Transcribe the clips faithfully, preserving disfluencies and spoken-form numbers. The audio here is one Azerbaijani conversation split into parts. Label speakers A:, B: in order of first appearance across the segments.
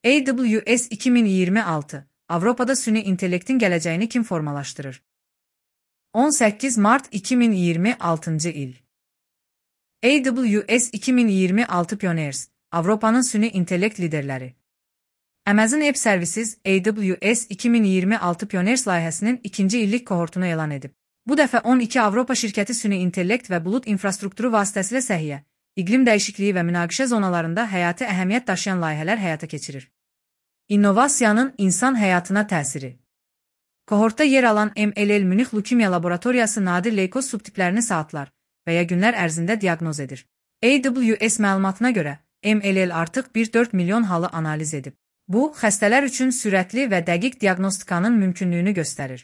A: A W S iki min iyirmi altı, Avropada süni intellektin gələcəyini kim formalaşdırır? on səkkiz Mart iki min iyirmi altıncı il. A W S iki min iyirmi altı Pioneers, Avropanın süni intellekt liderləri. Amazon Web Services A W S iki min iyirmi altı Pioneers layihəsinin ikinci illik kohortunu elan edib. Bu dəfə on iki Avropa şirkəti süni intellekt və bulut infrastrukturu vasitəsilə səhiyyə, iqlim dəyişikliyi və münaqişə zonalarında həyati əhəmiyyət daşıyan layihələr həyata keçirir. İnnovasiyanın insan həyatına təsiri. Kohortda yer alan M L L Münih Lukemiya Laboratoriyası nadir leykoz subtiplərini saatlar və ya günlər ərzində diaqnoz edir. A W S məlumatına görə, M L L artıq bir nöqtə dörd milyon halı analiz edib. Bu, xəstələr üçün sürətli və dəqiq diaqnostikanın mümkünlüyünü göstərir.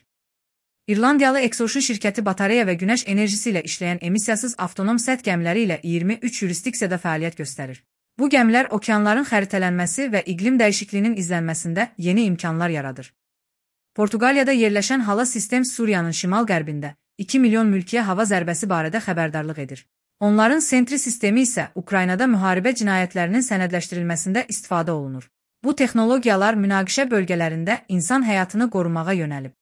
A: İrlandiyalı Exocean şirkəti batareya və günəş enerjisi ilə işləyən emissiyasız avtonom səth gəmiləri ilə iyirmi üç yurisdiksiyada fəaliyyət göstərir. Bu gəmilər okeanların xəritələnməsi və iqlim dəyişikliyinin izlənməsində yeni imkanlar yaradır. Portuqaliyada yerləşən Hala Sistem Suriyanın şimal-qərbində iki milyon mülkiyə hava zərbəsi barədə xəbərdarlıq edir. Onların Sentry sistemi isə Ukraynada müharibə cinayətlərinin sənədləşdirilməsində istifadə olunur. Bu texnologiyalar münaqişə bölgələrində insan həyatını qorumağa yönəlib.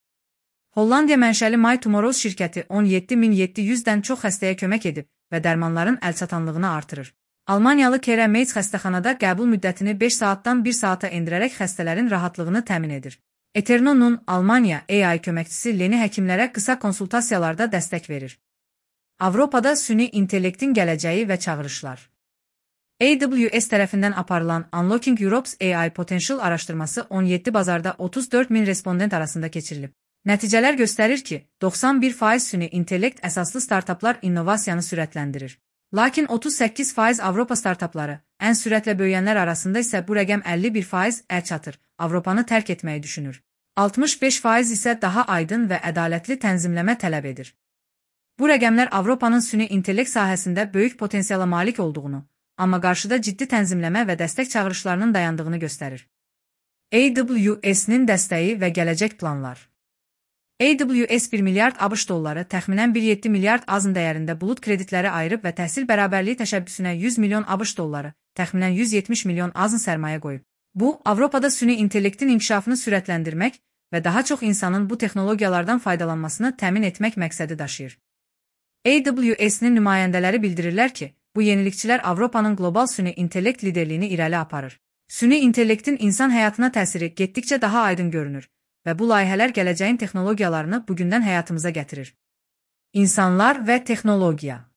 A: Hollandiya mənşəli My Tomorrows şirkəti on yeddi min yeddi yüzdən çox xəstəyə kömək edib və dərmanların əlçatanlığını artırır. Almaniyalı Kera Meitz xəstəxanada qəbul müddətini beş saatdan bir saata endirərək xəstələrin rahatlığını təmin edir. Eternonun Almaniya A I köməkçisi Leni həkimlərə qısa konsultasiyalarda dəstək verir. Avropada süni intellektin gələcəyi və çağırışlar. A W S tərəfindən aparılan Unlocking Europe's A I Potential araşdırması on yeddi bazarda otuz dörd min respondent arasında keçirilib. Nəticələr göstərir ki, doxsan bir faiz süni intellekt əsaslı startaplar innovasiyanı sürətləndirir. Lakin otuz səkkiz faiz Avropa startapları, ən sürətlə böyüyənlər arasında isə bu rəqəm əlli bir faiz əl çatır, Avropanı tərk etməyi düşünür. altmış beş faiz isə daha aydın və ədalətli tənzimləmə tələb edir. Bu rəqəmlər Avropanın süni intellekt sahəsində böyük potensiala malik olduğunu, amma qarşıda ciddi tənzimləmə və dəstək çağırışlarının dayandığını göstərir. A W S-nin dəstəyi və gələcək planlar. A W S bir milyard ABŞ dolları, təxminən bir nöqtə yeddi milyard azın dəyərində bulut kreditləri ayırıb və təhsil bərabərliyi təşəbbüsünə yüz milyon ABŞ dolları, təxminən yüz yetmiş milyon azın sərmayə qoyub. Bu, Avropada süni intellektin inkişafını sürətləndirmək və daha çox insanın bu texnologiyalardan faydalanmasını təmin etmək məqsədi daşıyır. A W S-nin nümayəndələri bildirirlər ki, bu yenilikçilər Avropanın qlobal süni intellekt liderliyini irəli aparır. Süni intellektin insan həyatına təsiri getdikcə daha aydın görünür və bu layihələr gələcəyin texnologiyalarını bugündən həyatımıza gətirir. İnsanlar və texnologiya.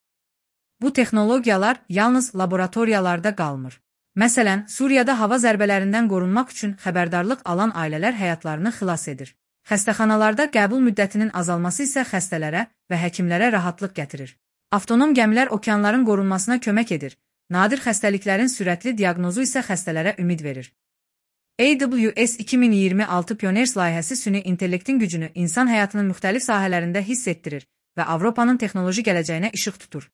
A: Bu texnologiyalar yalnız laboratoriyalarda qalmır. Məsələn, Suriyada hava zərbələrindən qorunmaq üçün xəbərdarlıq alan ailələr həyatlarını xilas edir. Xəstəxanalarda qəbul müddətinin azalması isə xəstələrə və həkimlərə rahatlıq gətirir. Avtonom gəmilər okeanların qorunmasına kömək edir. Nadir xəstəliklərin sürətli diaqnozu isə xəstələrə ümid verir. A W S iki min iyirmi altı Pioneers layihəsi süni intellektin gücünü insan həyatının müxtəlif sahələrində hiss etdirir və Avropanın texnoloji gələcəyinə işıq tutur.